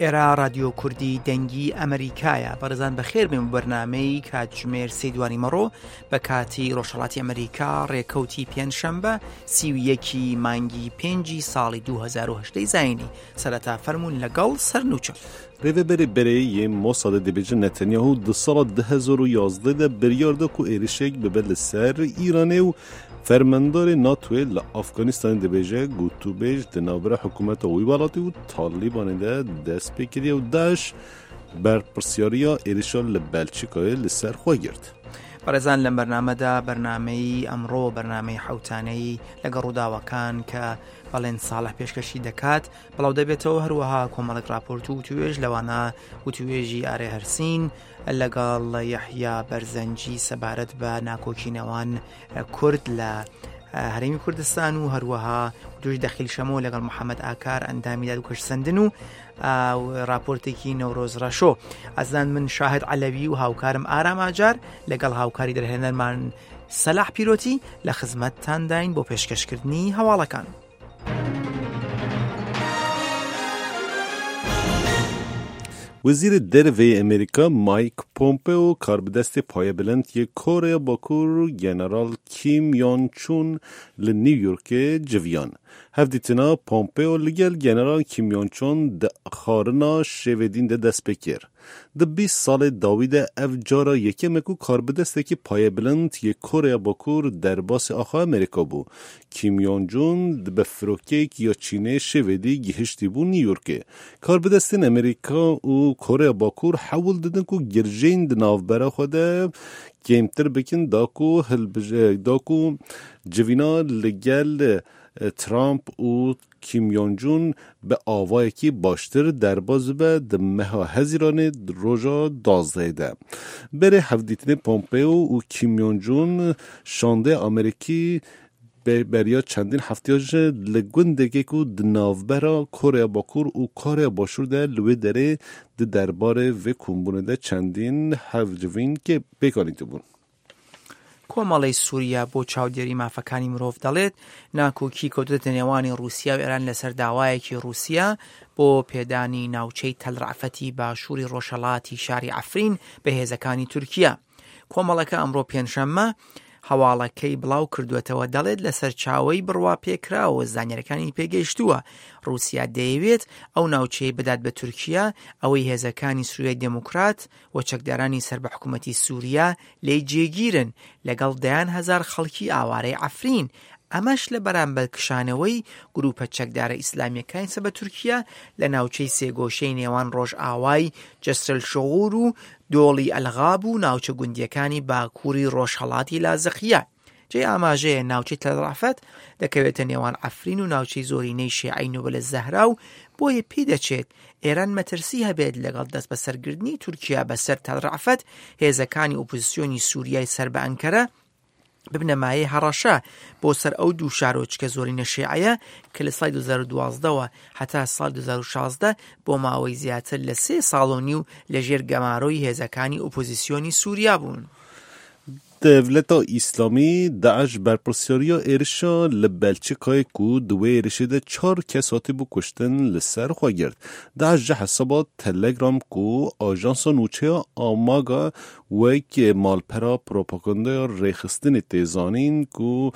ئێرە رادیۆ کوردی دەنگی ئەمریکایە بەڕێزان بەخێر بێن بۆ بەرنامەی کاتژمێر سێ دوانی مەڕۆ بە کاتی ڕۆژهەڵاتی ئەمریکا ڕێکەوتی پێنجشەمبە 31 مانگی پێنجی ساڵی 2010 زینی سەرەتا فەرمونون لەگەڵ سەرنوچە. Rêveberê berê yê Mossadê dibêje Netanyahu di sala 2011 de biryar da ku êrişek bibe li ser Îranê û Fermandarê NATOyê li Afganistanê dibêje gotûbêj di navbera hikûmeta wî welatî û Talîbanê de dest pê kiriye û DAIŞ berpirsyariya êrişa li Belçîkayê li ser xwe girt. بەڕێزان لەم بەرنامەدا بەرنامەی ئەمڕۆ بەرنامەی حەوتانەی لەگەڵ ڕووداوەکان کە بەڵێن ساڵح پێشکەشی دەکات بڵاو دەبێتەوە هەروەها کۆمەڵێک راپۆرت و وتوێژ لەوانە وتوێژی ئارێ هەرسین لەگەڵ یەحیا بەرزەنجی سەبارەت بە ناکۆکی نێوان کورد لە هەرێمی کوردستان و هەروەها دوش دەخیل شەمۆ لەگەڵ محەممەد ئاکار ئەندامی دادوکەشسەندن و راپۆرتێکی نەورۆز ڕەشۆ ئەزان من شاهد عەلەوی و هاوکارم ئارام ئاجار لەگەڵ هاوکاری دەرهێنەرمان سەلاح پیرۆتی لە خزمەتتانداین بۆ پێشکەشکردنی هەواڵەکان. Wezîrê Derve yê Amerîka Mike Pompeo karbidestê payebilind yê Koreya Bakur General Kim Yon-chun li New Yorkê civiyan. Hevdîtina Pompeo li gel General Kim Yon-chun di xwarina şêvedîn de dest pê kir. Di 20 salê dawî de ev cara yekem e ku karbidestekî payebilind yê Koreya Bakur derbasê axa Amerîka bû. Kim Yon-jun bi firokeyek ya Çînê şêvedî gihiştîbû New Yorkê. Karbidestên Amerîka û Koreya Bakur hewl didin ku girjên di navbera xwe de kêmtir bikin da ku da ku civîna li gel Trump û Kim Yon-jun bi awayekî baştir derbas bibe di meha Hezîranê roja 12 de. Berê hevdîtinê Pompeo û Kim Yon-jun şandeya Amerîkî beriya çendîn hefteya ji li gundekê ku di navbera Koreya Bakur û Koreya Başûr de li wê derê di derbarê vê kombûnê de çendîn hevcivîn pêk anîtibûn. کۆمەڵەی سووریا بۆ چاودێری مافەکانی مرۆڤ دەڵێت، ناکۆکی کەوتووەتە نێوانی ڕووسیا و ئێران لەسەر داوایەکی ڕووسیا بۆ پێدانی ناوچەی تەل ڕەعفەتی باشووری ڕۆژهەڵاتی شاری عەفرین بە هێزەکانی تورکیا. کۆمەڵەکە ئەمڕۆ پێنجشەممە هەواڵەکەی بڵاو کردووەتەوە دەڵێت لە سەرچاوەی بڕواپێکراوە زانیاریەکانی پێگەیشتووە ڕووسیا دەیەوێت ئەو ناوچەیە بدات بە تورکیا ئەوەی هێزەکانی سوریای دێموکرات و چەکدارانی سەر بە حکوومەتی سووریا لێی جێگیرن لەگەڵ دەیان هەزار خەڵکی ئاوارەی عەفرین، ئەمەش لە بەرامبەر کشانەوەی گرووپە چەکدارە ئیسلامییەکانی سەر بە تورکیا لە ناوچەی سێگۆشەی نێوان ڕۆژئاوای جەسرەلشغور و دۆڵی ئەلغاب و ناوچە گوندییەکانی باکووری ڕۆژهەڵاتی لازقیە. جێی ئاماژەیە ناوچەی تەل ڕەعفەت دەکەوێتە نێوان عەفرین و ناوچەی زۆرینەی شیعەی نوبل زەهرا و بۆیە پێی دەچێت ئێران مەترسی هەبێت لەگەڵ دەستبەسەرگرتنی تورکیا بەسەر تەل ڕەعفەت هێزەکانی ئۆپۆزسیۆنی سووریای سەر بە ئەنکەرە ببنە مایەی هەڕەشە بۆ سەر ئەو دوو شارۆچکە زۆرینە شیعەیە کە لە ساڵی 2012ەوە هەتا ساڵی 2016 بۆ ماوەی زیاتر لە سێ ساڵ و نیو لەژێر گەمارۆی هێزەکانی ئۆپۆزیسیۆنی سووریا بوون. Dewleta Îslamî DAIŞ berpirsyariya êrişa li Belçîkayê ku di wê êrişê de çar kes hatibû kuştin li ser xwe girt. DAIŞ ji hesaba Telegram ku ajansa nûçeya Amaga wek malpera propagandaya rêxistinê tê zanîn ku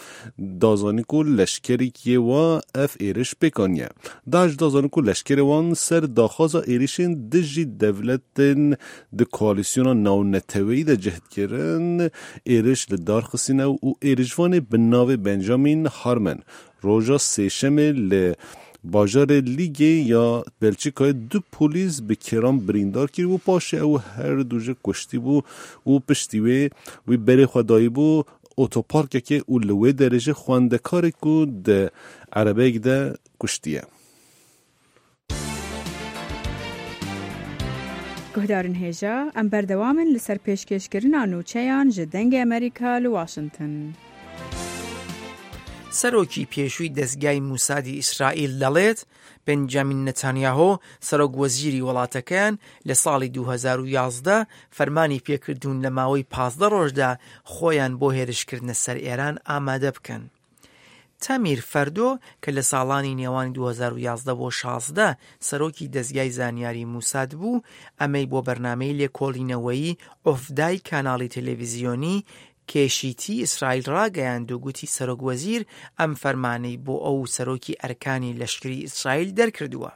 da zanîn ku leşkerîk yê wa ev êriş pêk aniye. DAIŞ da zanîn ku leşkerê wan ser daxwaza êrişên dijî dewletên di koalîsyona navneteweyî de cih dikirin êriş li dar xistîne û êrişvanê bi navê Benjamin Harman roja sêşemê li bajarê Lîgê ya Belçîkayê du polîs bi kêran birîndar kiribû paşê ew her du ji kuştîbû û piştî wê wî berê xwe dayîbû otoparkekê û li wê derê jî xwendekarê ku di erebeyek de kuştiye. Guhdarên hêja, em berdewam in li ser pêşkêşkirina nûçeyan ji Dengê Amerîka li Washington. سەرۆکی پێشووی دەزگای موسادی ئیسرائیل دەڵێت، بنجامین نەتانیاهۆ، سەرۆک وەزیری وڵاتەکەیان لە ساڵی 2011 فەرمانی پێکردوون لە ماوەی 15 ڕۆژدا خۆیان بۆ هێرشکردنە سەر ئێران ئامادە بکەن. تەمیر فەردۆ کە لە ساڵانی نێوانی 2011 بۆ 16 سەرۆکی دەزگای زانیاری موساد بوو، ئەمەی بۆ بەرنامەی لێکۆڵینەوەیی ئۆفدای کاناڵی تەلەڤیزیۆنی کێشیتی ئیسرائیل ڕاگەیاند و گوتی سەرۆک وەزیر ئەم فەرمانەی بۆ ئەو و سەرۆکی ئەرکانی لەشکری ئیسرائیل دەرکردووە.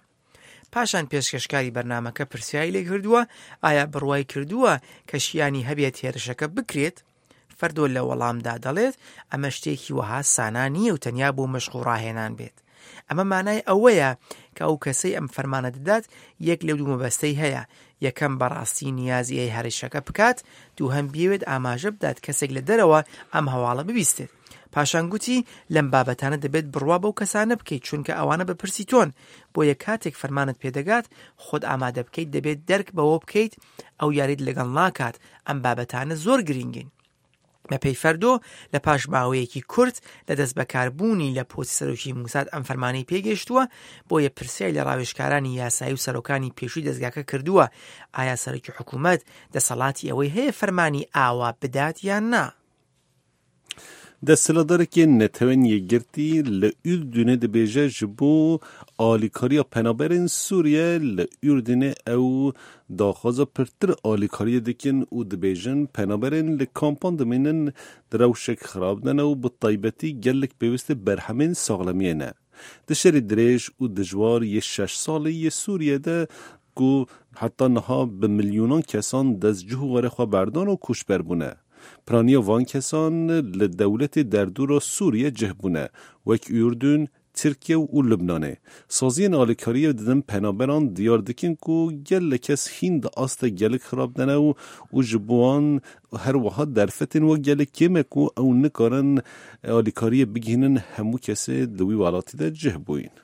پاشان پێشکەشکاری بەرنامەکە پرسیاری لێکردووە ئایا بڕوای کردووە کە شیانی هەبێت هێرشەکە بکرێت؟ فەردۆ لە وەڵامدا دەڵێت ئەمە شتێکی وەها سانا نییە و تەنیا بۆ مەشق و ڕاهێنان بێت. ئەمە مانای ئەوەیە کە ئەو کەسەی ئەم فەرمانە دەدات یەک لەو دوو مەبەستەی هەیە، یەکەم بەڕاستی نیازی هەیە هەرشەکە بکات، دووهەم بیەوێت ئاماژە بدات کەسێک لە دەرەوە ئەم هەواڵە ببیستێت. پاشان گوتی لەم بابەتانە دەبێت بڕوا بەو کەسانە بکەیت چونکە ئەوانە بەرپرسی تۆن، بۆیە کاتێک فەرمانت پێدەگات خۆت ئامادە بکەیت دەبێت دەرک بەوە بکەیت ئەو یاریت لەگەڵ ناکات، ئەم بابەتانە زۆر گرینگین. بەپێی فەردۆ لە پاش ماوەیەکی کورت لە دەستبەکاربوونی لە پۆستی سەرۆکی موساد ئەم فەرمانەی پێگەیشتووە، بۆیە پرسیاری لە ڕاوێژکارانی یاسایی و سەرۆکانی پێشووی دەزگاکە کردووە ئایا سەرۆکی حکوومەت دەسەڵاتی ئەوەی هەیە فەرمانی ئاوا بدات یان نا؟ Desthilatdarekê Netewên Yekgirtî li Urdunê dibêje ji bo alîkariya penaberên Sûriye li Urdunê ew daxwaza pirtir alîkariyê dikin û dibêjin penaberên li kampan dimînin di rewşek xirab de ne û bi taybetî gelek pêwîstê berhemên saxlemiyê ne. Di şerê dirêj û dijwar yê şeş salî yê Sûriyê de ku heta niha bi milyonan kesan dest cih û warê xwe berdan û koçber bûne. Piraniya van kesan li dewletê derdora Sûriye cih bûne, wek Urdun, Tirkiye û Lubnanê. Saziyên alîkariyê didin penaberan diyar dikin ku gelek kes hîn di asta gelek xirab de ne û û ji bo wan her wiha derfetên wan gelek kêm e ku ew nikarin alîkariyê bigihînin hemû kesê di wî welatî de cih bûyîn.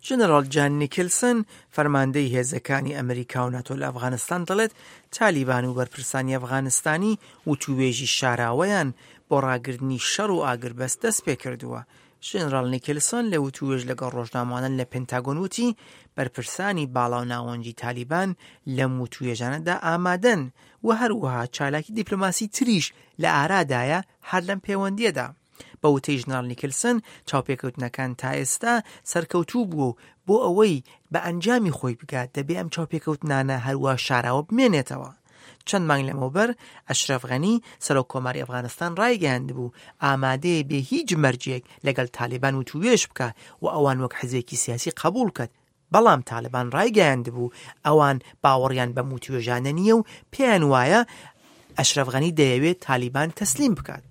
ژەنەراڵ جان نیکلسن، فەرماندەی هێزەکانی ئەمریکا و ناتۆ لە ئەفغانستان دەڵێت، تالیبان و بەرپرسانی ئەفغانستانی وتووێژی شاراوەیان بۆ ڕاگرتنی شەڕ و ئاگربەست دەستپێکردووە. ژەنەراڵ نیکلسۆن لە وتووێژ لەگەڵ ڕۆژنامەوانان لە پنتاگۆن وتی، بەرپرسانی باڵا و ناوەنجی تالیبان لەم وتووێژانەدا ئامادەن و هەروەها چالاکی دیپلۆماسی تریش لە ئارادایە هەر لەم پێوەندییەدا. بە وتەی ژنراڵ نیکلسن، چاوپێکەوتنەکان تا ئێستا سەرکەوتوو بووە و بۆ ئەوەی بە ئەنجامی خۆی بگات دەبێ ئەم چاوپێکەوتنانە هەروا شاراوە بمێنێتەوە. چەند مانگ لەمەوبەر ئەشرەف غەنی، سەرۆک کۆماری ئەفغانستان ڕایگەیاندبوو ئامادەیە بێ هیچ مەرجێک لەگەڵ تالیبان وتووێژ بکا و ئەوان وەک حزبێکی سیاسی قەبووڵ کات، بەڵام تالبان ڕایگەیاندبوو ئەوان باوەڕیان بەم وتوێژانە نییە و پێیان وایە ئەشرەف غەنی دەیەوێت تالیبان تەسلیم بکات.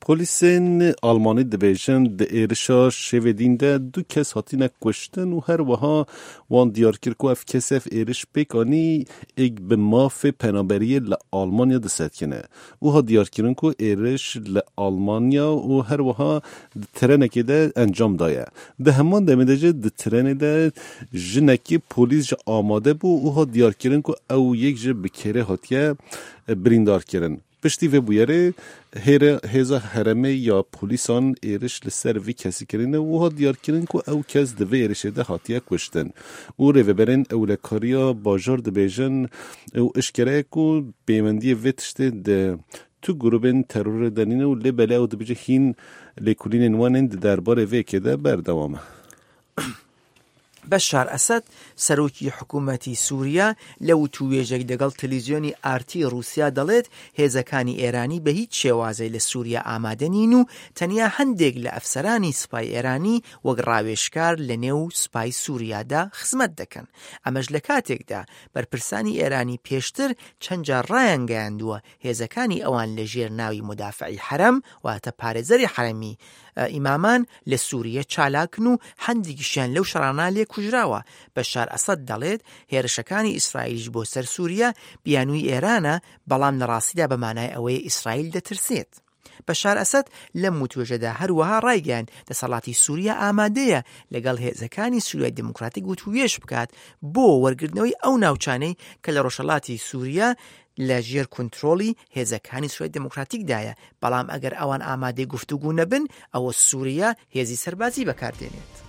Polîsên Almanî dibêjin di êrişa şevê dîn de du kes hatine kuştin û her wiha wan diyar kir ku ev kes ev êriş pêk anî êk bi mafê penaberiyê li Almanya disetkine. Û hat diyarkirin ku êriş li Almanya û her wiha di trenekê de encam daye. Di heman demê de jî di trenê de jinekî polîs jî amade bû û hat diyarkirin ku ew yek jî bi kêrê hatiye birîndarkirin. Piştî vê bûyerê hêre hêza herêmê ya polîsan êriş li ser vî kesî kirine û hat diyarkirin ku ew kes di vê êrişê de hatiye kuştin. Û rêveberên ewlekariya bajar dibêjin û eşkere ye ku pêwendiyê vê tiştê di tu grûbên terorê de nîne û lê belê ew dibêje hîn lêkolînên wan ên di derbarê vê yekê de berdewam e. بەشار ئەسەد، سەرۆکی حکوومەتی سووریا لە وتووێژێک دەگەڵ تەلەڤیزیۆنی ئارتی ڕووسیا دەڵێت، هێزەکانی ئێرانی بە هیچ شێوازێک لە سووریا ئامادە نین و تەنیا هەندێک لە ئەفسەرانی سوپای ئێرانی وەک ڕاوێژکار لە نێو سوپای سووریادا خزمەت دەکەن. ئەمەش لە کاتێکدا بەرپرسانی ئێرانی پێشتر چەند جار ڕایانگەیاندووە هێزەکانی ئەوان لە ژێر ناوی مودافعی حەرەم واتە پارێزەری حەرەمی ئیمامان لە سووریە چالاکن و هەندێکیشیان لەو شەڕانە لێ کوژراوە. بەشار ئەسەد دەڵێت هێرشەکانی ئیسرائیلیش بۆ سەر سووریە بیانووی ئێرانە، بەڵام لە ڕاستیدا بە مانای ئەوەیە ئیسرائیل دەترسێت. بەشار ئەسەد لەم وتوێژەدا هەروەها ڕایگەیاند دەسەڵاتی سووریا ئامادەیە لەگەڵ هێزەکانی سووریای دێموکراتیک وتووێژ بکات بۆ وەرگرتنەوەی ئەو ناوچانەی کە لە ڕۆژهەڵاتی سووریا لە ژێر کونترۆڵی هێزەکانی سووریای دێموکراتیکدایە، بەڵام ئەگەر ئەوان ئامادەی گفتوگو نەبن، ئەوە سووریا هێزی سەربازی بەکاردێنێت.